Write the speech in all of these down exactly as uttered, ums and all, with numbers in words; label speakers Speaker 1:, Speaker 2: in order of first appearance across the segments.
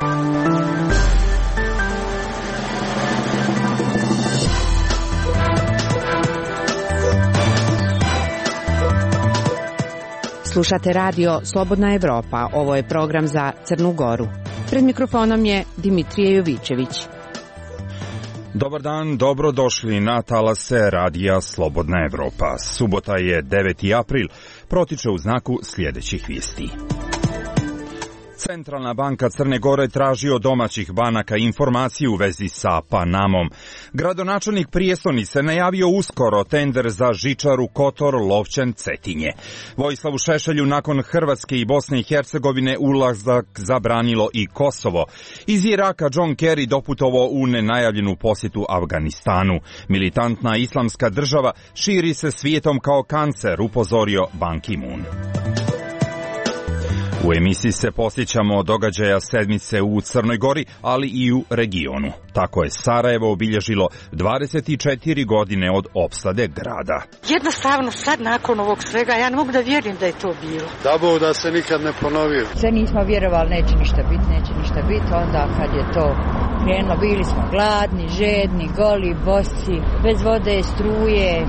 Speaker 1: Slušate radio Slobodna Evropa. Ovo je program za Crnu Goru. Pred mikrofonom je Dimitrije Jovićević.
Speaker 2: Dobar dan, dobrodošli na talase radija Slobodna Evropa. Subota je deveti april, protiče u znaku sljedećih vijesti. Centralna banka Crne Gore traži od domaćih banaka informaciju u vezi sa Panamom. Gradonačelnik prijestonice najavio uskoro tender za žičaru Kotor Lovćen Cetinje. Vojislavu Šešelju nakon Hrvatske i Bosne i Hercegovine ulazak zabranilo i Kosovo. Iz Iraka John Kerry doputovao u nenajavljenu posjetu Afganistanu. Militantna islamska država širi se svijetom kao kancer, upozorio Ban Ki-moon. U emisiji se posjećamo događaja sedmice u Crnoj Gori, ali i u regionu. Tako je Sarajevo obilježilo dvadeset četiri godine od opsade grada.
Speaker 3: Jednostavno sad nakon ovog svega ja ne mogu da vjerujem da je to bilo.
Speaker 4: Da Bog da se nikad ne ponovio.
Speaker 5: Sve nismo vjerovali neće ništa biti, neće ništa biti. Onda kad je to krenulo bili smo gladni, žedni, goli, bosi, bez vode, struje,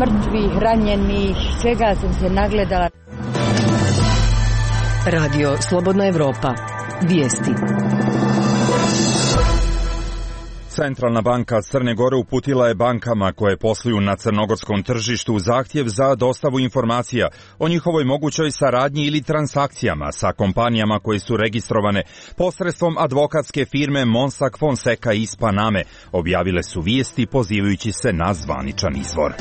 Speaker 5: mrtvih, ranjenih, svega sam se nagledala.
Speaker 1: Radio Slobodna Evropa. Vijesti.
Speaker 2: Centralna banka Crne Gore uputila je bankama koje posluju na crnogorskom tržištu zahtjev za dostavu informacija o njihovoj mogućoj saradnji ili transakcijama sa kompanijama koje su registrovane posredstvom advokatske firme Mossack Fonseca iz Paname, objavile su vijesti pozivajući se na zvaničan izvor.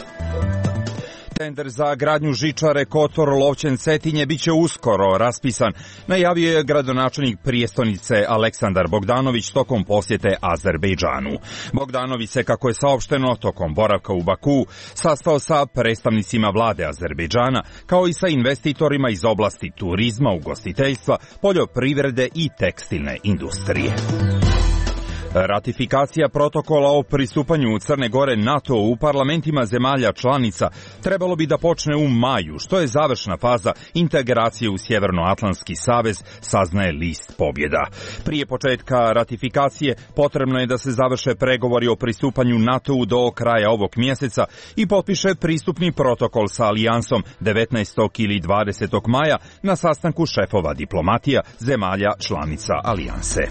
Speaker 2: Tender za gradnju žičare Kotor Lovćen Cetinje biće uskoro raspisan, najavio je gradonačelnik prijestonice Aleksandar Bogdanović tokom posjete Azerbejdžanu. Bogdanović se, kako je saopšteno, tokom boravka u Baku sastao sa predstavnicima vlade Azerbejdžana, kao i sa investitorima iz oblasti turizma, ugostiteljstva, poljoprivrede i tekstilne industrije. Ratifikacija protokola o pristupanju Crne Gore NATO u parlamentima zemalja članica trebalo bi da počne u maju, što je završna faza integracije u Sjevernoatlantski savez, saznaje list Pobjeda. Prije početka ratifikacije potrebno je da se završe pregovori o pristupanju NATO-u do kraja ovog mjeseca i potpiše pristupni protokol sa alijansom devetnaestog ili dvadesetog maja na sastanku šefova diplomatija zemalja članica alijanse.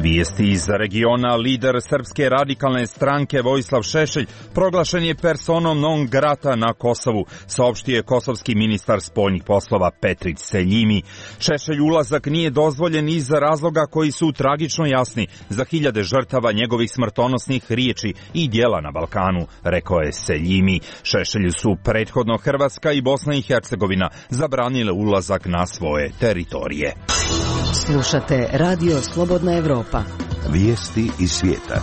Speaker 2: Vijesti iz regiona. Lider Srpske radikalne stranke Vojislav Šešelj proglašen je personom non grata na Kosovu, saopštio je kosovski ministar spoljnih poslova Petrić Seljimi. Šešelj ulazak nije dozvoljen iz razloga koji su tragično jasni za hiljade žrtava njegovih smrtonosnih riječi i djela na Balkanu, rekao je Seljimi. Šešelju su prethodno Hrvatska i Bosna i Hercegovina zabranile ulazak na svoje teritorije.
Speaker 1: Slušate radio Slobodna Evropa.
Speaker 6: Vijesti iz svijeta.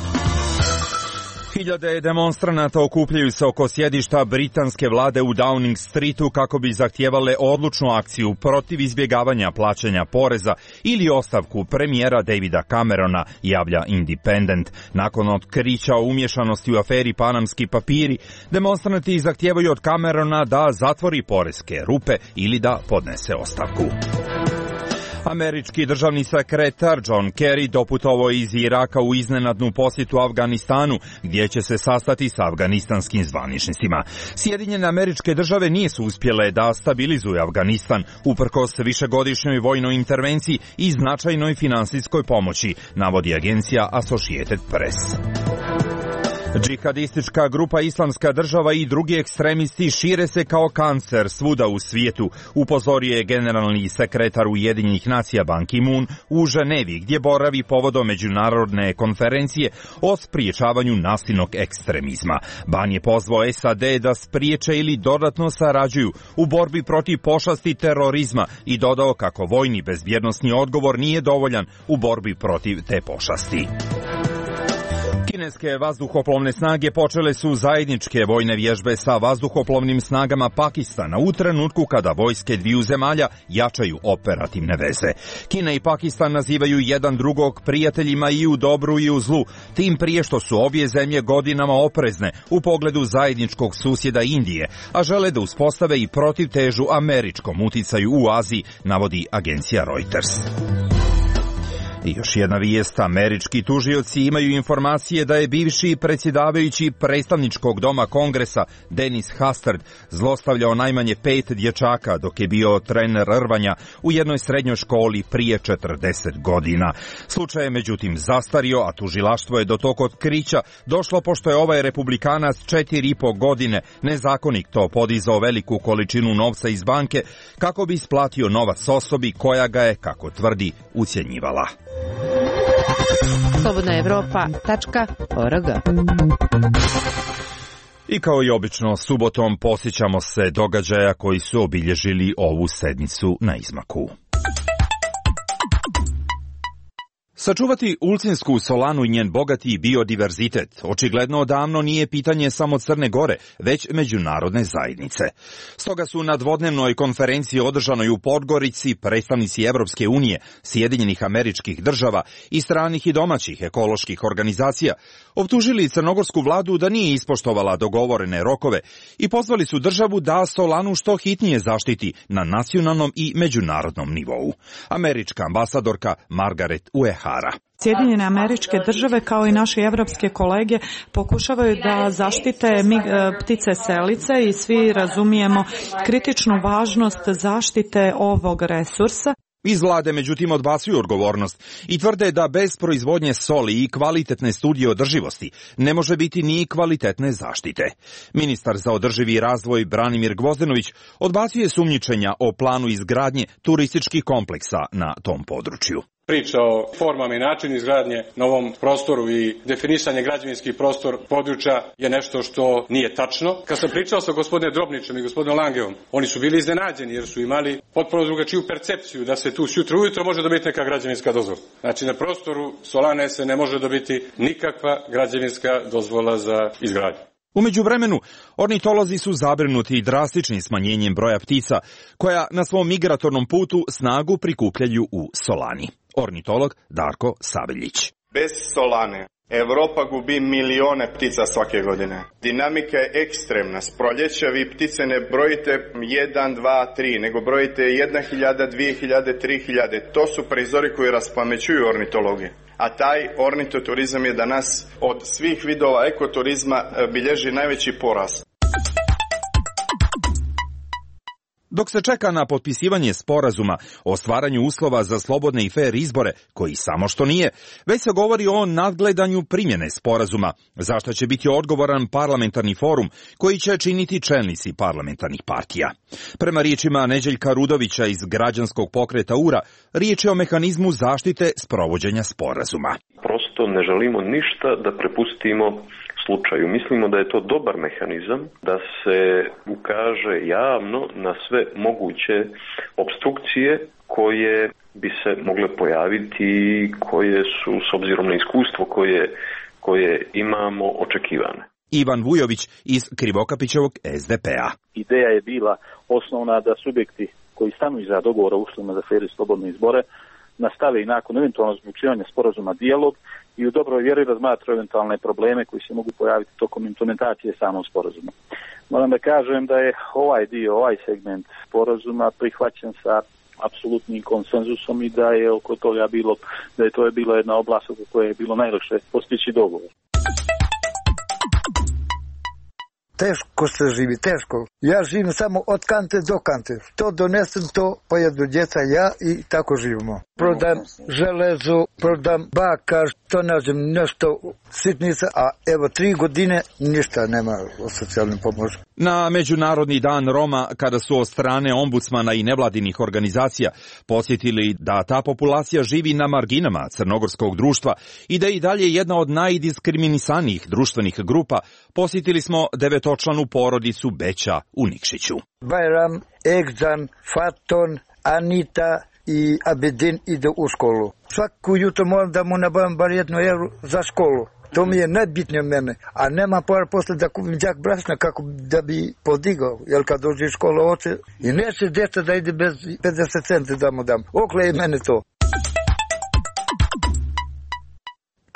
Speaker 2: Hiljade demonstranata okupljaju se oko sjedišta britanske vlade u Downing Streetu kako bi zahtijevale odlučnu akciju protiv izbjegavanja plaćanja poreza ili ostavku premijera Davida Camerona, javlja Independent. Nakon otkrića o umješanosti u aferi Panamski papiri, demonstranti zahtijevaju od Camerona da zatvori poreske rupe ili da podnese ostavku. Američki državni sekretar John Kerry doputovao iz Iraka u iznenadnu posjetu Afganistanu, gdje će se sastati sa afganistanskim zvaničnicima. Sjedinjene Američke Države nisu uspjele da stabilizuju Afganistan uprkos višegodišnjoj vojnoj intervenciji i značajnoj finansijskoj pomoći, navodi agencija Associated Press. Džihadistička grupa Islamska država i drugi ekstremisti šire se kao kancer svuda u svijetu, upozorio je generalni sekretar Ujedinjenih nacija Ban Ki-moon u Ženevi, gdje boravi povodom međunarodne konferencije o spriječavanju nasilnog ekstremizma. Ban je pozvao S A D da spriječe ili dodatno sarađuju u borbi protiv pošasti terorizma i dodao kako vojni bezbjednosni odgovor nije dovoljan u borbi protiv te pošasti. Kineske vazduhoplovne snage počele su zajedničke vojne vježbe sa vazduhoplovnim snagama Pakistana u trenutku kada vojske dviju zemalja jačaju operativne veze. Kina i Pakistan nazivaju jedan drugog prijateljima i u dobru i u zlu, tim prije što su obje zemlje godinama oprezne u pogledu zajedničkog susjeda Indije, a žele da uspostave i protivtežu američkom uticaju u Aziji, navodi agencija Reuters. I još jedna vijest, američki tužioci imaju informacije da je bivši predsjedavajući predstavničkog doma Kongresa Dennis Hastert zlostavljao najmanje pet dječaka dok je bio trener rvanja u jednoj srednjoj školi prije četrdeset godina. Slučaj je međutim zastario, a tužilaštvo je do tog otkrića došlo pošto je ovaj republikanac četiri i po godine nezakonito podizao veliku količinu novca iz banke kako bi isplatio novac osobi koja ga je, kako tvrdi, ucjenjivala.
Speaker 1: slobodna evropa tačka org.
Speaker 2: I kao i obično, subotom posjećamo se događaja koji su obilježili ovu sedmicu na izmaku. Sačuvati Ulcinjsku solanu i njen bogati biodiverzitet očigledno odavno nije pitanje samo Crne Gore, već međunarodne zajednice. Stoga su na dvodnevnoj konferenciji održanoj u Podgorici predstavnici Evropske unije, Sjedinjenih Američkih Država i stranih i domaćih ekoloških organizacija optužili crnogorsku vladu da nije ispoštovala dogovorene rokove i pozvali su državu da solanu što hitnije zaštiti na nacionalnom i međunarodnom nivou. Američka ambasadorka Margaret Uehara.
Speaker 7: Sjedinjene Američke Države kao i naši evropske kolege pokušavaju da zaštite ptice selice i svi razumijemo kritičnu važnost zaštite ovog resursa.
Speaker 2: Iz vlade međutim odbacuju odgovornost i tvrde da bez proizvodnje soli i kvalitetne studije održivosti ne može biti ni kvalitetne zaštite. Ministar za održivi razvoj Branimir Gvozdenović odbacuje sumnjičenja o planu izgradnje turističkih kompleksa na tom području.
Speaker 8: Priča o formama i načinu izgradnje na ovom prostoru i definisanje građevinskih prostor područja je nešto što nije tačno. Kad sam pričao sa gospodinom Drobnićem i gospodinom Langevom, oni su bili iznenađeni jer su imali potpuno drugačiju percepciju da se tu sutra ujutro može dobiti neka građevinska dozvola. Znači na prostoru solane se ne može dobiti nikakva građevinska dozvola za izgradnju.
Speaker 2: U međuvremenu, ornitolozi su zabrinuti drastičnim smanjenjem broja ptica, koja na svom migratornom putu snagu prikupljaju u solani. Ornitolog Darko Sabeljić.
Speaker 9: Bez solane Evropa gubi milione ptica svake godine. Dinamika je ekstremna. S proljeća vi ptice ne brojite jedan, dva, tri, nego brojite jedna hiljada, dvije hiljade, tri hiljade. To su prizori koji raspamećuju ornitologije. A taj ornitoturizam je danas od svih vidova ekoturizma bilježi najveći porast.
Speaker 2: Dok se čeka na potpisivanje sporazuma o stvaranju uslova za slobodne i fer izbore, koji samo što nije, već se govori o nadgledanju primjene sporazuma, za što će biti odgovoran parlamentarni forum koji će činiti čelnici parlamentarnih partija. Prema riječima Neđeljka Rudovića iz građanskog pokreta U R A, riječ je o mehanizmu zaštite sprovođenja sporazuma.
Speaker 10: Prosto ne želimo ništa da prepustimo slučaju. Mislimo da je to dobar mehanizam da se ukaže javno na sve moguće opstrukcije koje bi se mogle pojaviti, koje su s obzirom na iskustvo koje, koje imamo očekivane.
Speaker 2: Ivan Vujović iz Krivokapićevog S D P A.
Speaker 11: Ideja je bila osnovna da subjekti koji stanu iza dogovora o uslovima za fer i slobodne izbore nastave i nakon eventualnog zaključivanja sporazuma dijalog i u dobroj vjeri razmatraju eventualne probleme koji se mogu pojaviti tokom implementacije samog sporazuma. Moram da kažem da je ovaj dio, ovaj segment sporazuma prihvaćen sa apsolutnim konsenzusom i da je oko toga bilo, da je to je bila jedna oblast oko koje je bilo najlakše postići dogovor.
Speaker 12: Teško se živi, teško. Ja živim samo od kante do kante. To donesem, to pojedu djeca, ja i tako živimo. Prodam železo, prodam bakar, to nađem nešto sitnica, a evo tri godine ništa nema o socijalnim pomoći.
Speaker 2: Na Međunarodni dan Roma, kada su od strane ombudsmana i nevladinih organizacija posjetili da ta populacija živi na marginama crnogorskog društva i da je i dalje jedna od najdiskriminisanijih društvenih grupa, posjetili smo devetočlanu porodicu Beća u Nikšiću.
Speaker 12: Bajram, Egzan, Faton, Anita i Abedin ide u školu. Svaku jutro moram da mu nabavim bar jednu evru za školu. To mi je najbitnije mene, a nema para posle da kupim đak brašna kako da bi podigao, jer kad dođe iz škola oče i neće djeca da ide bez pedeset centi da mu dam. Okle je mene to.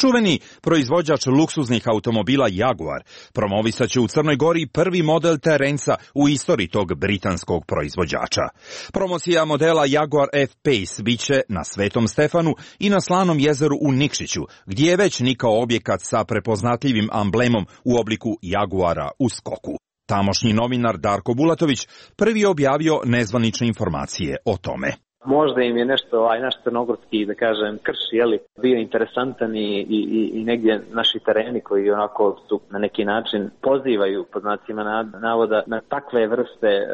Speaker 2: Čuveni proizvođač luksuznih automobila Jaguar promovisat će u Crnoj Gori prvi model terenca u istoriji tog britanskog proizvođača. Promocija modela Jaguar F-Pace biće na Svetom Stefanu i na Slanom jezeru u Nikšiću, gdje je već nikao objekat sa prepoznatljivim amblemom u obliku Jaguara u skoku. Tamošnji novinar Darko Bulatović prvi je objavio nezvanične informacije o tome.
Speaker 13: Možda im je nešto, aj naš crnogorski, da kažem, krš, jeli, bio interesantan i, i, i negdje naši tereni koji onako su na neki način pozivaju, pod znacima navoda, na takve vrste e,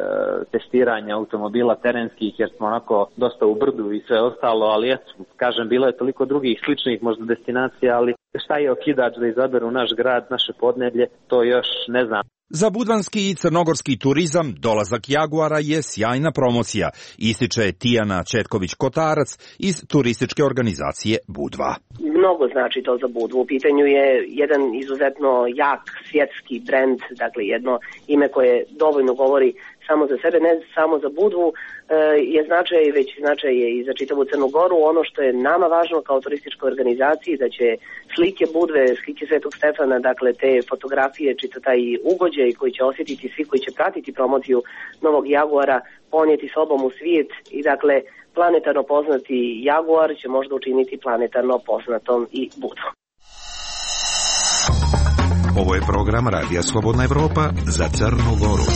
Speaker 13: testiranja automobila terenskih, jer smo onako dosta u brdu i sve ostalo, ali eto, kažem, bilo je toliko drugih sličnih možda destinacija, ali šta je okidač da izaberu naš grad, naše podneblje, to još ne znam.
Speaker 2: Za budvanski i crnogorski turizam dolazak Jaguara je sjajna promocija, ističe Tijana Četković-Kotarac iz turističke organizacije Budva.
Speaker 14: Mnogo znači to za Budvu. U pitanju je jedan izuzetno jak svjetski brend, dakle jedno ime koje dovoljno govori samo za sebe, ne samo za Budvu, je značaj, već značaj je i za čitavu Crnu Goru. Ono što je nama važno kao turističkoj organizaciji, da će slike Budve, slike Svetog Stefana, dakle te fotografije, čita taj ugođaj koji će osjetiti svi koji će pratiti promociju novog Jaguara, ponijeti sobom u svijet i dakle planetarno poznati Jaguar će možda učiniti planetarno poznatom i Budvu.
Speaker 6: Ovo je program Radija Slobodna Evropa za Crnu Goru.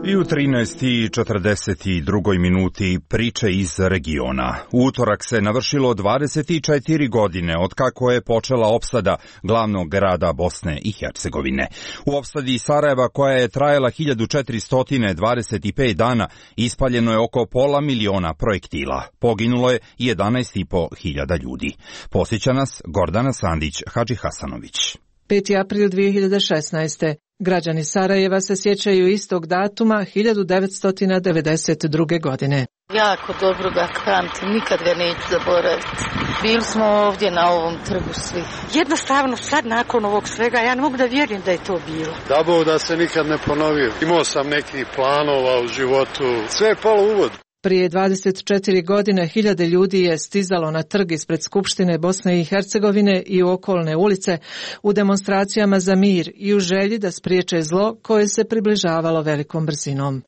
Speaker 2: I u trinaest i četrdeset dva minuti priče iz regiona. U utorak se navršilo dvadeset četiri godine od kako je počela opsada glavnog grada Bosne i Hercegovine. U opsadi Sarajeva, koja je trajala hiljadu četiristo dvadeset pet dana, ispaljeno je oko pola miliona projektila. Poginulo je jedanaest i po hiljada ljudi. Posjeća nas Gordana Sandić-Hadžihasanović.
Speaker 15: peti april dvije hiljade šesnaeste. Građani Sarajeva se sjećaju istog datuma hiljadu devetsto devedeset druge. godine.
Speaker 3: Jako dobro ga pamtim, nikad ga neću zaboraviti. Bili smo ovdje na ovom trgu svi. Jednostavno sad nakon ovog svega ja ne mogu da vjerujem da je to bilo.
Speaker 4: Da Bog da se nikad ne ponovio. Imao sam nekih planova u životu. Sve je palo u vodu.
Speaker 15: Prije dvadeset četiri godine hiljade ljudi je stizalo na trg ispred Skupštine Bosne i Hercegovine i u okolne ulice u demonstracijama za mir i u želji da spriječe zlo koje se približavalo velikom brzinom.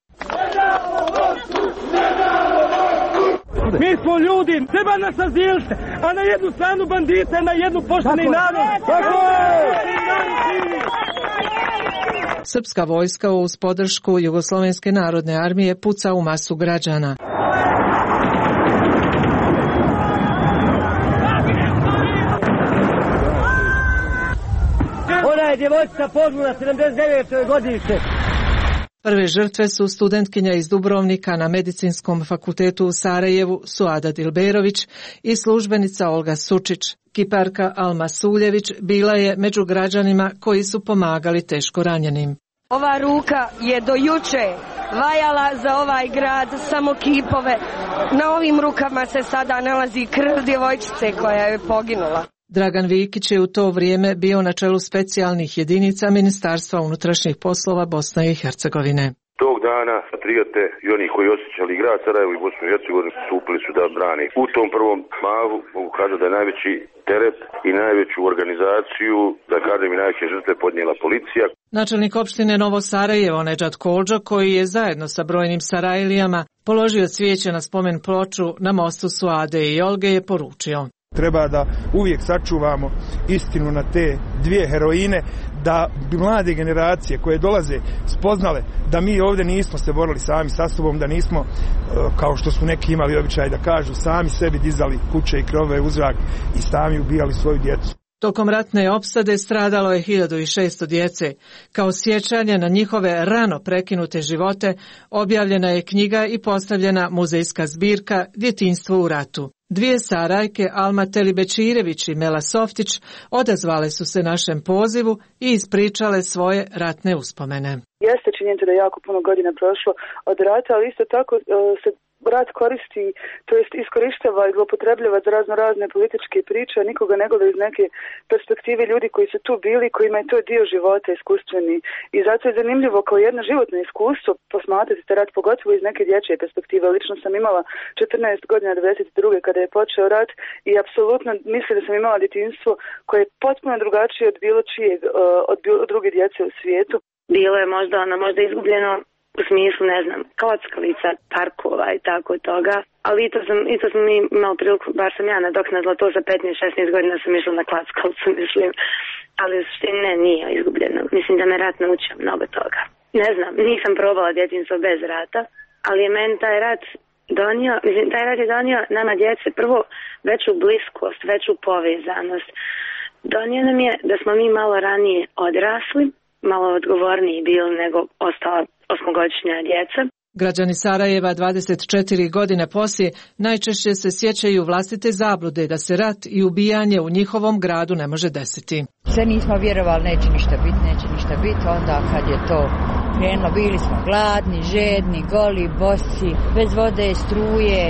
Speaker 16: Mi smo ljudi, treba nas azilite, a na jednu stranu bandite, na jednu pošteni narod. Tako je!
Speaker 15: Srpska vojska uz podršku Jugoslovenske narodne armije puca u masu građana.
Speaker 16: Ona je djevojčica poginula sedamdeset devete. godište.
Speaker 15: Prve žrtve su studentkinja iz Dubrovnika na Medicinskom fakultetu u Sarajevu Suada Dilberović i službenica Olga Sučić. Kiparka Alma Suljević bila je među građanima koji su pomagali teško ranjenim.
Speaker 17: Ova ruka je do juče vajala za ovaj grad samo kipove. Na ovim rukama se sada nalazi krv djevojčice koja je poginula.
Speaker 15: Dragan Vikić je u to vrijeme bio na čelu specijalnih jedinica Ministarstva unutrašnjih poslova Bosne i Hercegovine.
Speaker 18: Tog dana patriote i oni koji osjećali grad Sarajevo i Bosnu i Hercegovinu stupili su da brane. U tom prvom mahu mogu kazati da je najveći teret i najveću organizaciju, da kažem i najveće žrtve podnijela policija.
Speaker 15: Načelnik opštine Novo Sarajevo Nedžad Koldža, koji je zajedno sa brojnim Sarajlijama položio cvijeće na spomen ploču na mostu Suade i Olge, je poručio:
Speaker 19: treba da uvijek sačuvamo istinu na te dvije heroine, da bi mlade generacije koje dolaze spoznale da mi ovdje nismo se borili sami sa sobom, da nismo, kao što su neki imali običaj da kažu, sami sebi dizali kuće i krovove u zrak i sami ubijali svoju djecu.
Speaker 15: Tokom ratne opsade stradalo je hiljadu šesto djece. Kao sjećanje na njihove rano prekinute živote objavljena je knjiga i postavljena muzejska zbirka Djetinjstvo u ratu. Dvije Sarajke, Alma Telibečirević i Mela Softić, odazvale su se našem pozivu i ispričale svoje ratne uspomene.
Speaker 20: Jeste činjenica da je jako puno godina prošlo od rata, ali isto tako se rat koristi, to jest iskorištava i zloupotrebljava za razno razne političke priče, a nikoga ne gleda iz neke perspektive ljudi koji su tu bili, kojima je to dio života iskustveni. I zato je zanimljivo kao jedno životno iskustvo posmatrati te rat, pogotovo iz neke dječje perspektive. Lično sam imala četrnaest godina devedeset druge kada je počeo rat i apsolutno mislim da sam imala djetinjstvo koje je potpuno drugačije od bilo čijeg, od bilo druge djece u svijetu.
Speaker 14: Bilo je možda ono, možda izgubljeno u smislu, ne znam, kockalica, parkova i tako toga, ali i to sam, i to sam imala priliku, bar sam ja nadoknadila to za petnaest šesnaest godina sam išla na klackalicu, mislim, ali u suštini ne, nije izgubljeno. Mislim da me rat naučio mnogo toga. Ne znam, nisam probala djetinjstvo bez rata, ali je meni taj rat donio, mislim, taj rat je donio nama djece prvo veću bliskost, veću povezanost. Donio nam je da smo mi malo ranije odrasli, malo odgovorniji bili nego ostala osmogodišnja djeca.
Speaker 15: Građani Sarajeva dvadeset četiri godine poslije najčešće se sjećaju vlastite zablude da se rat i ubijanje u njihovom gradu ne može desiti.
Speaker 5: Sve nismo vjerovali, neće ništa biti, neće ništa biti, onda kad je to krenulo, bili smo gladni, žedni, goli, bosi, bez vode, struje,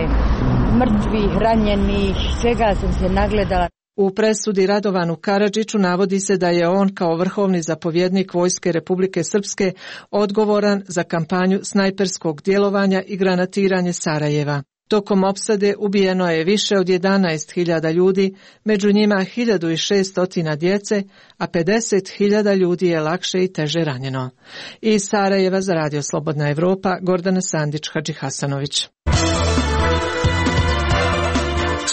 Speaker 5: mrtvih, ranjenih, svega sam se nagledala.
Speaker 15: U presudi Radovanu Karadžiću navodi se da je on kao vrhovni zapovjednik Vojske Republike Srpske odgovoran za kampanju snajperskog djelovanja i granatiranje Sarajeva. Tokom opsade ubijeno je više od jedanaest hiljada ljudi, među njima hiljadu šesto djece, a pedeset hiljada ljudi je lakše i teže ranjeno. Iz Sarajeva za Radio Slobodna Evropa, Gordana Sandić Hadžihasanović.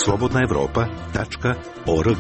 Speaker 6: slobodna evropa tačka org.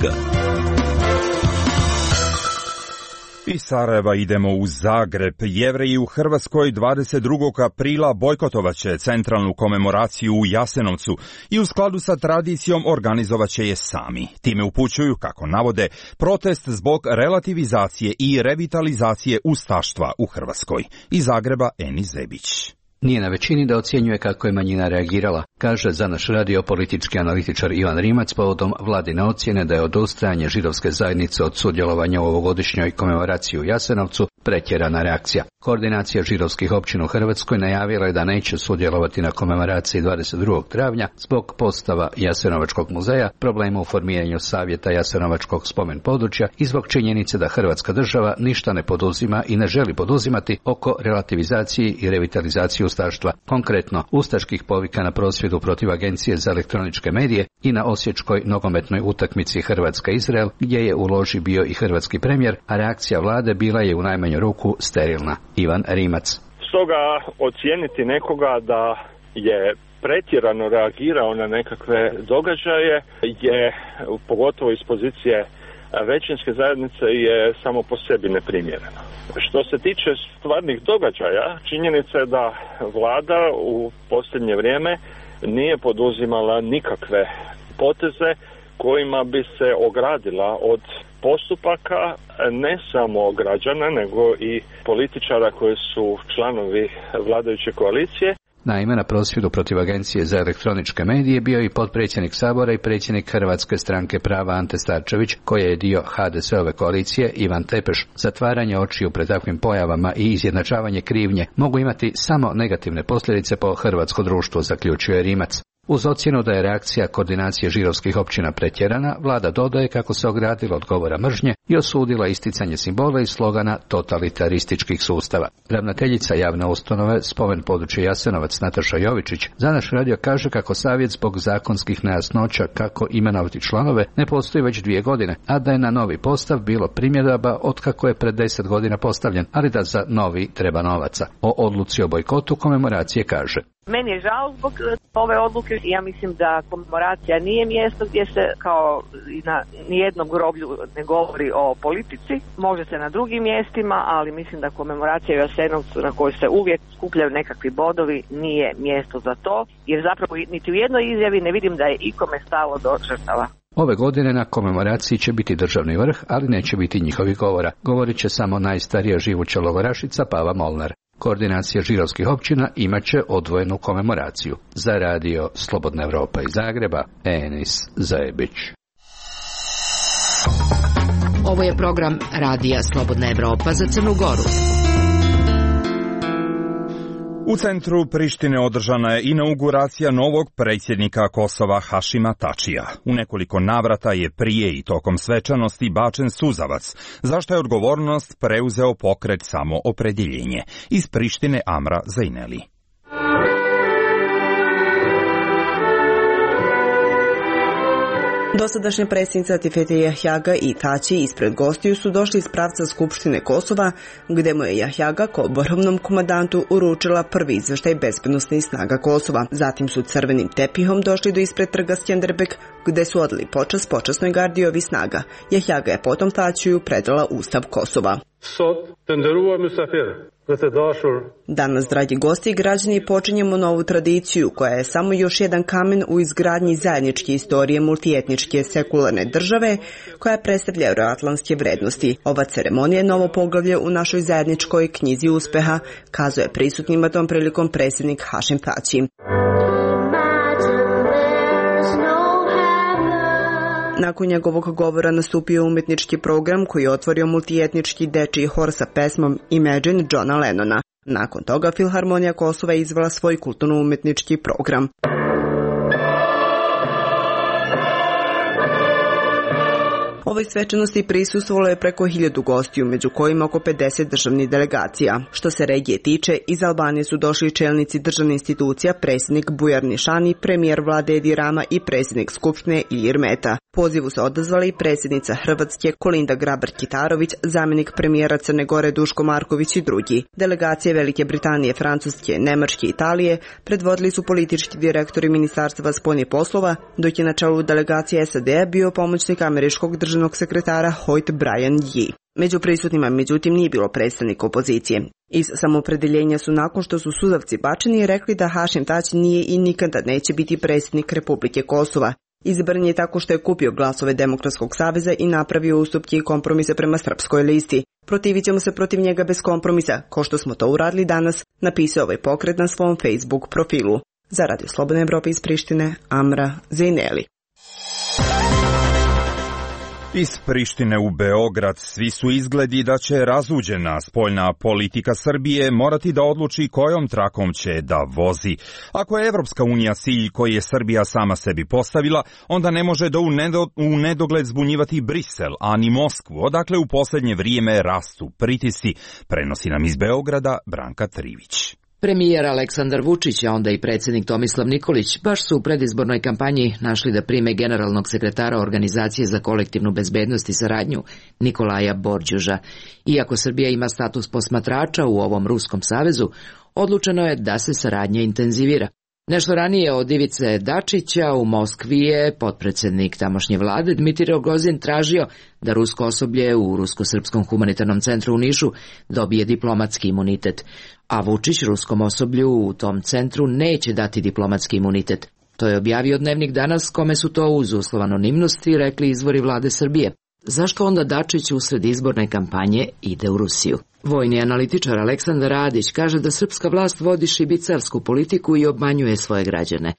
Speaker 2: Iz Sarajeva idemo u Zagreb. Jevreji u Hrvatskoj dvadeset drugog aprila bojkotovaće centralnu komemoraciju u Jasenovcu i u skladu sa tradicijom organizovaće je sami. Time upućuju, kako navode, protest zbog relativizacije i revitalizacije ustaštva u Hrvatskoj. Iz Zagreba Eni Zebić.
Speaker 21: Nije na većini da ocjenjuje kako je manjina reagirala, kaže za naš radio politički analitičar Ivan Rimac povodom vladine ocjene da je odustajanje židovske zajednice od sudjelovanja u ovogodišnjoj komemoraciji u Jasenovcu pretjerana reakcija. Koordinacija židovskih općina u Hrvatskoj najavila je da neće sudjelovati na komemoraciji dvadeset drugog travnja zbog postava Jasenovačkog muzeja, problema u formiranju savjeta Jasenovačkog spomen područja i zbog činjenice da Hrvatska država ništa ne poduzima i ne želi poduzimati oko relativizacije i revitalizacije ustaštva, konkretno ustaških povika na prosvjedu protiv Agencije za elektroničke medije i na osječkoj nogometnoj utakmici Hrvatska-Izrael, gdje je u loži bio i hrvatski premijer, a reakcija vlade bila je u najmanju ruku sterilna. Ivan Rimac.
Speaker 22: Stoga ocijeniti nekoga da je pretjerano reagirao na nekakve događaje je, pogotovo iz pozicije većinske zajednice, je samo po sebi neprimjereno. Što se tiče stvarnih događaja, činjenica je da vlada u posljednje vrijeme nije poduzimala nikakve poteze kojima bi se ogradila od postupaka ne samo građana, nego i političara koji su članovi vladajuće koalicije.
Speaker 21: Naime, na prosvjedu protiv Agencije za elektroničke medije bio i potpredsjednik Sabora i predsjednik Hrvatske stranke prava Ante Starčević, koji je dio ha de es-ove koalicije, Ivan Tepeš. Zatvaranje očiju pred takvim pojavama i izjednačavanje krivnje mogu imati samo negativne posljedice po hrvatsko društvo, zaključuje Rimac. Uz ocjenu da je reakcija koordinacije židovskih općina pretjerana, vlada dodaje kako se ogradila od govora mržnje i osudila isticanje simbola i slogana totalitarističkih sustava. Ravnateljica javne ustanove Spomen područje Jasenovac Nataša Jovičić za naš radio kaže kako savjet zbog zakonskih nejasnoća kako imenovati članove ne postoji već dvije godine, a da je na novi postav bilo primjedaba od kako je pred deset godina postavljen, ali da za novi treba novaca. O odluci o bojkotu komemoracije kaže:
Speaker 23: Meni je žao zbog ove odluke. Ja mislim da komemoracija nije mjesto gdje se kao i na nijednom groblju ne govori o politici. Može se na drugim mjestima, ali mislim da komemoracija u Jasenovcu na kojoj se uvijek skupljaju nekakvi bodovi nije mjesto za to, jer zapravo niti u jednoj izjavi ne vidim da je ikome stalo do žrtava.
Speaker 21: Ove godine na komemoraciji će biti državni vrh, ali neće biti njihovih govora. Govorit će samo najstarija živuća logorašica Pava Molnar. Koordinacija židovskih općina imat će odvojenu komemoraciju. Za radio Slobodna Evropa iz Zagreba, Enis Zajebić.
Speaker 1: Ovo je program Radija Slobodna Evropa za Crnu Goru.
Speaker 2: U centru Prištine održana je inauguracija novog predsjednika Kosova Hašima Tačija. U nekoliko navrata je prije i tokom svečanosti bačen suzavac, zašto je odgovornost preuzeo pokret Samoopredjeljenje. Iz Prištine Amra Zajneli.
Speaker 7: Dosadašnja predsjednica Tifete Jahjaga i Tači ispred gostiju su došli iz pravca Skupštine Kosova, gde mu je Jahjaga kao vrhovnom komandantu uručila prvi izveštaj bezbednosnih snaga Kosova. Zatim su crvenim tepihom došli do ispred trga Skjenderbeg, gde su odali počast počasnoj gardi ovih snaga. Jahjaga je potom Tačiju predala Ustav Kosova. Danas, dragi gosti i građani, počinjemo novu tradiciju koja je samo još jedan kamen u izgradnji zajedničke istorije multietničke sekularne države koja predstavlja euroatlantske vrednosti. Ova ceremonija je novo poglavlje u našoj zajedničkoj knjizi uspeha, kazuje prisutnima tom prilikom predsjednik Hašim Tači. Nakon njegovog govora nastupio umjetnički program koji je otvorio multietnički dečiji hor sa pesmom Imagine Johna Lennona. Nakon toga Filharmonija Kosova je izvela svoj kulturno-umjetnički program. Ovoj svečanosti prisustvovalo je preko hiljadu gostiju, među kojima oko pedeset državnih delegacija. Što se regije tiče, iz Albanije su došli čelnici državnih institucija, predsjednik Bujar Nišani, premijer vlade Edi Rama i predsjednik Skupštine Ilir Meta. Pozivu se odazvali predsjednica Hrvatske Kolinda Grabar-Kitarović, zamjenik premijera Crne Gore Duško Marković i drugi. Delegacije Velike Britanije, Francuske, Nemačke i Italije predvodili su politički direktori Ministarstva spoljnih poslova, dok je na čelu delegacije S A D bio pomoćnik američkog državnog sekretara Hoyt Brian Yee. Među prisutnima, međutim, nije bilo predstavnika opozicije. Iz Samoopredeljenja su, nakon što su suzavci bačeni, rekli da Hašim Tači nije i nikada neće biti predsjednik Republike Kosova. Izabran je tako što je kupio glasove Demokratskog saveza i napravio ustupke i kompromise prema srpskoj listi. Protivit ćemo se protiv njega bez kompromisa, kao što smo to uradili danas, napisao ovaj pokret na svom Facebook profilu. Za Radio Slobodna Evropa iz Prištine, Amra Zajneli.
Speaker 2: Iz Prištine u Beograd svi su izgledi da će razuđena spoljna politika Srbije morati da odluči kojom trakom će da vozi. Ako je Evropska unija cilj koji je Srbija sama sebi postavila, onda ne može da u, nedo, u nedogled zbunjivati Brisel, a ni Moskvu, odakle u posljednje vrijeme rastu pritisci, prenosi nam iz Beograda Branka Trivić.
Speaker 8: Premijer Aleksandar Vučić, a onda i predsjednik Tomislav Nikolić, baš su u predizbornoj kampanji našli da prime generalnog sekretara Organizacije za kolektivnu bezbednost i saradnju Nikolaja Borđuža. Iako Srbija ima status posmatrača u ovom Ruskom savezu, odlučeno je da se saradnja intenzivira. Nešto ranije od Ivice Dačića u Moskvi je potpredsjednik tamošnje vlade Dmitrij Rogozin tražio da rusko osoblje u Rusko-srpskom humanitarnom centru u Nišu dobije diplomatski imunitet, a Vučić ruskom osoblju u tom centru neće dati diplomatski imunitet. To je objavio Dnevnik Danas, kome su to uz uslov anonimnosti rekli izvori vlade Srbije. Zašto onda Dačić usred izborne kampanje ide u Rusiju? Vojni analitičar Aleksandar Radić kaže da srpska vlast vodi šibicarsku politiku i obmanjuje svoje građane.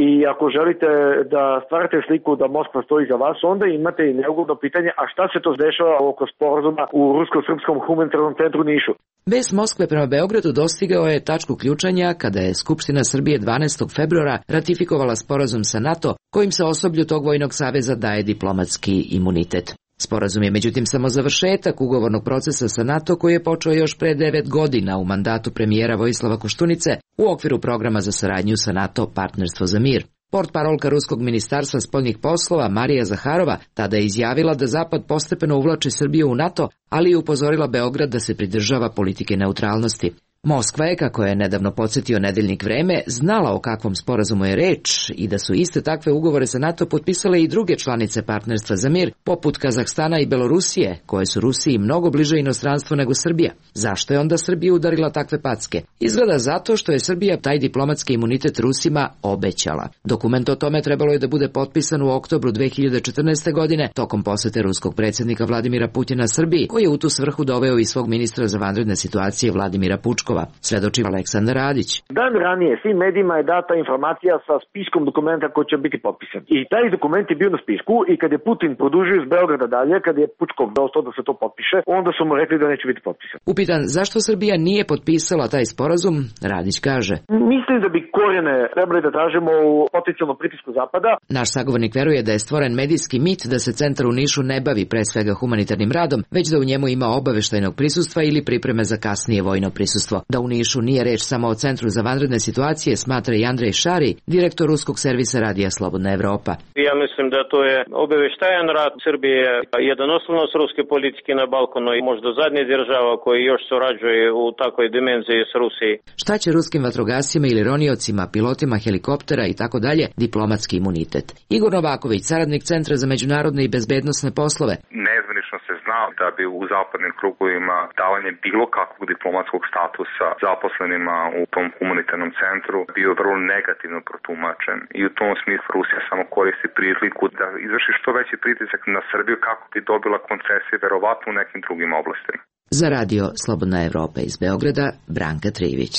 Speaker 9: I ako želite da stvarate sliku da Moskva stoji za vas, onda imate i neugodno pitanje, a šta se to dešava oko sporazuma u Rusko-srpskom humanitarnom centru Nišu?
Speaker 8: Bes Moskve prema Beogradu dostigao je tačku ključanja kada je Skupština Srbije dvanaestog februara ratifikovala sporazum sa NATO, kojim se osoblju tog vojnog saveza daje diplomatski imunitet. Sporazum je međutim samo završetak ugovornog procesa sa NATO koji je počeo još pre devet godina u mandatu premijera Vojislava Koštunice u okviru programa za saradnju sa NATO Partnerstvo za mir. Portparolka Ruskog ministarstva spoljnih poslova Marija Zaharova tada je izjavila da Zapad postepeno uvlači Srbiju u NATO, ali i upozorila Beograd da se pridržava politike neutralnosti. Moskva je, kako je nedavno podsjetio nedeljnik Vreme, znala o kakvom sporazumu je reč i da su iste takve ugovore sa NATO potpisale i druge članice Partnerstva za mir, poput Kazahstana i Belorusije, koje su Rusiji mnogo bliže inostranstvu nego Srbija. Zašto je onda Srbija udarila takve packe? Izgleda zato što je Srbija taj diplomatski imunitet Rusima obećala. Dokument o tome trebalo je da bude potpisan u oktobru dve hiljade četrnaeste. godine tokom posete ruskog predsjednika Vladimira Putina Srbiji, koji je u tu svrhu doveo i svog ministra za vanredne situacije Vladimira Pučkova. troškova, svedoči Aleksandar Radić.
Speaker 9: Dan ranije svim medijima je data informacija sa spiskom dokumenta koji će biti potpisan. I taj dokument je bio na spisku i kad je Putin produžio iz Beograda dalje, kad je Pučkov dostao da se to potpiše, onda su mu rekli da neće biti potpisan.
Speaker 8: Upitan zašto Srbija nije potpisala taj sporazum, Radić kaže:
Speaker 9: Mislim da bi korijene trebali da tražimo u potencijalnom pritisku Zapada.
Speaker 8: Naš sagovornik veruje da je stvoren medijski mit da se centar u Nišu ne bavi pre svega humanitarnim radom, već da u njemu ima obaveštajnog prisustva ili pripreme za kasnije vojno prisustvo. Da u Nišu nije reč samo o Centru za vanredne situacije, smatra i Andrej Šari, direktor ruskog servisa radija Slobodna Evropa.
Speaker 10: Ja mislim da to je obaveštajan rad Srbije, jedan osnovnost ruske politike na Balkanu i možda zadnja država koja još surađuje u takvoj dimenziji s Rusiji.
Speaker 8: Šta će ruskim vatrogascima ili roniocima, pilotima helikoptera i tako dalje diplomatski imunitet? Igor Novaković, saradnik Centra za međunarodne i bezbednosne poslove.
Speaker 11: Nezvanično se zna da bi u zapadnim krugovima davanje bilo kakvog diplomatskog statusa zaposlenima u tom humanitarnom centru bio vrlo negativno protumačen. I u tom smislu Rusija samo koristi priliku da izvrši što veći pritisak na Srbiju kako bi dobila koncesije verovatno u nekim drugim oblastima.
Speaker 8: Za radio Slobodna Evropa iz Beograda, Branka Trivić.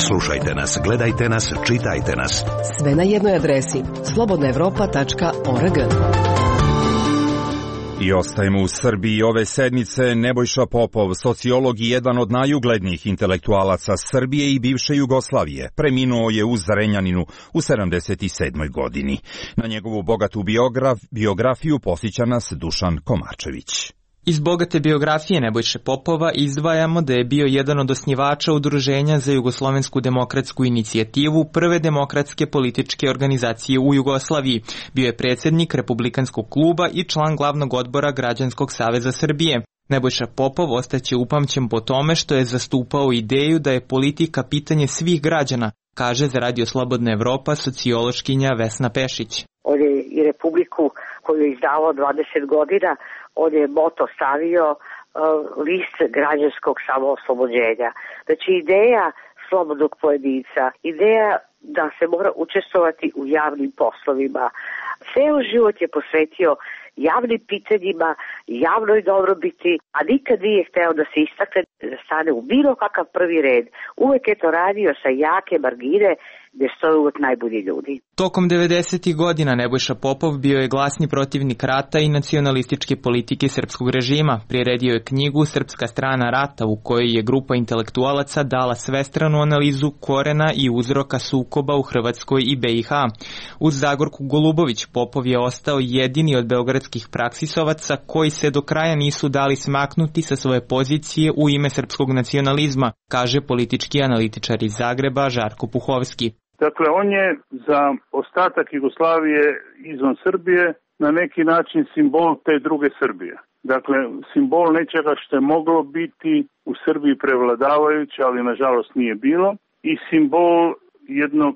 Speaker 6: Slušajte nas, gledajte nas, čitajte nas.
Speaker 12: Sve na jednoj adresi slobodna evropa tačka org.
Speaker 2: I ostajemo u Srbiji ove sedmice. Nebojša Popov, sociolog i jedan od najuglednijih intelektualaca Srbije i bivše Jugoslavije, preminuo je u Zrenjaninu u sedamdeset sedmoj godini. Na njegovu bogatu biograf, biografiju posjeća nas Dušan Komarčević.
Speaker 24: Iz bogate biografije Nebojše Popova izdvajamo da je bio jedan od osnivača Udruženja za jugoslovensku demokratsku inicijativu, prve demokratske političke organizacije u Jugoslaviji. Bio je predsjednik Republikanskog kluba i član glavnog odbora Građanskog saveza Srbije. Nebojša Popov ostaće upamćen po tome što je zastupao ideju da je politika pitanje svih građana, kaže za Radio Slobodna Evropa sociološkinja Vesna Pešić.
Speaker 25: On je i Republiku koju je izdavao dvadeset godina, on je moto stavio uh, list građanskog samooslobođenja. Znači ideja slobodnog pojedinca, ideja da se mora učestvovati u javnim poslovima. Ceo život je posvetio javnim pitanjima, javnoj dobrobiti, a nikad nije hteo da se istakne, da stane u bilo kakav prvi red. Uvek je to radio sa jake margine gde stoje uvek najbolji ljudi.
Speaker 24: Tokom devedesetih godina Nebojša Popov bio je glasni protivnik rata i nacionalističke politike srpskog režima. Priredio je knjigu Srpska strana rata u kojoj je grupa intelektualaca dala svestranu analizu korena i uzroka sukoba u Hrvatskoj i be i ha. Uz Zagorku Golubović Popov je ostao jedini od beogradskih praksisovaca koji se do kraja nisu dali smaknuti sa svoje pozicije u ime srpskog nacionalizma, kaže politički analitičar iz Zagreba Žarko Puhovski.
Speaker 26: Dakle, on je za ostatak Jugoslavije izvan Srbije na neki način simbol te druge Srbije. Dakle, simbol nečega što je moglo biti u Srbiji prevladavajuće, ali nažalost nije bilo, i simbol jednog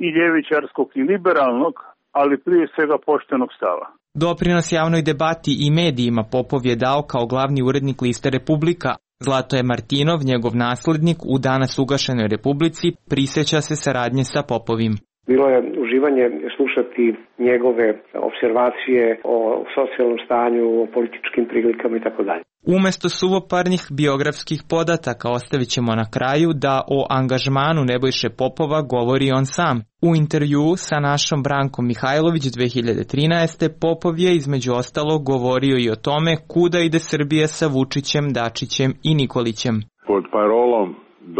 Speaker 26: i ljevičarskog i liberalnog, ali prije svega poštenog stava.
Speaker 24: Doprinos javnoj debati i medijima Popov je dao kao glavni urednik liste Republika. Zlatoje Martinov, njegov naslednik, u danas ugašenoj Republici, prisjeća se saradnje sa Popovim.
Speaker 27: Bilo je uživanje slušati njegove observacije o socijalnom stanju, o političkim prilikama i tako dalje.
Speaker 24: Umesto suvoparnih biografskih podataka ostavit ćemo na kraju da o angažmanu Nebojše Popova govori on sam. U intervjuu sa našom Brankom Mihajlović dve hiljade trinaeste. Popov je između ostalog govorio i o tome kuda ide Srbija sa Vučićem, Dačićem i Nikolićem.
Speaker 28: Pod parolom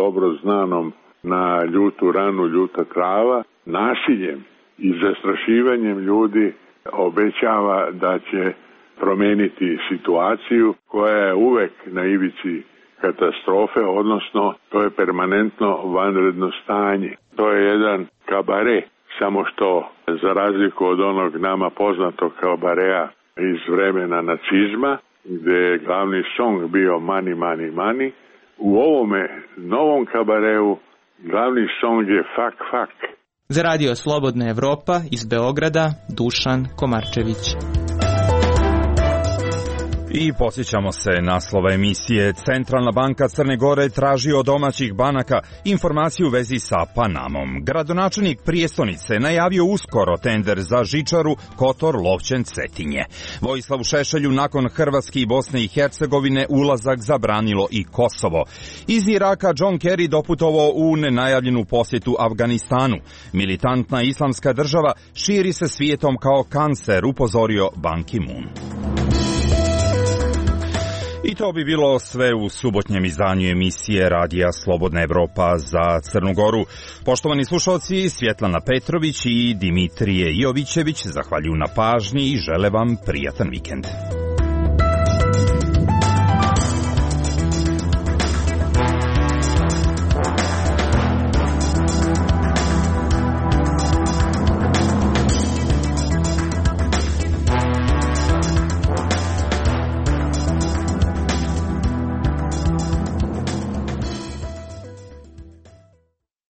Speaker 28: dobro znanom na ljutu ranu, ljuta trava, nasiljem i zastrašivanjem ljudi obećava da će promeniti situaciju koja je uvek na ivici katastrofe, odnosno to je permanentno vanredno stanje. To je jedan kabare, samo što za razliku od onog nama poznatog kabarea iz vremena nacizma, gde je glavni song bio Money, Money, Money, u ovome novom kabareu glavni song je Fuck, Fuck.
Speaker 24: Za Radio Slobodna Evropa iz Beograda, Dušan Komarčević.
Speaker 2: I podsjećamo se naslova emisije. Centralna banka Crne Gore traži od domaćih banaka informaciju u vezi sa Panamom. Gradonačelnik prijestonice najavio uskoro tender za žičaru Kotor-Lovćen-Cetinje. Vojislavu Šešelju nakon Hrvatske i Bosne i Hercegovine ulazak zabranilo i Kosovo. Iz Iraka John Kerry doputovao u nenajavljenu posjetu Afganistanu. Militantna islamska država širi se svijetom kao kancer, upozorio Ban Ki-moon. I to bi bilo sve u subotnjem izdanju emisije Radija Slobodna Evropa za Crnu Goru. Poštovani slušalci, Svjetlana Petrović i Dimitrije Jovićević zahvaljuju na pažnji i žele vam prijatan vikend.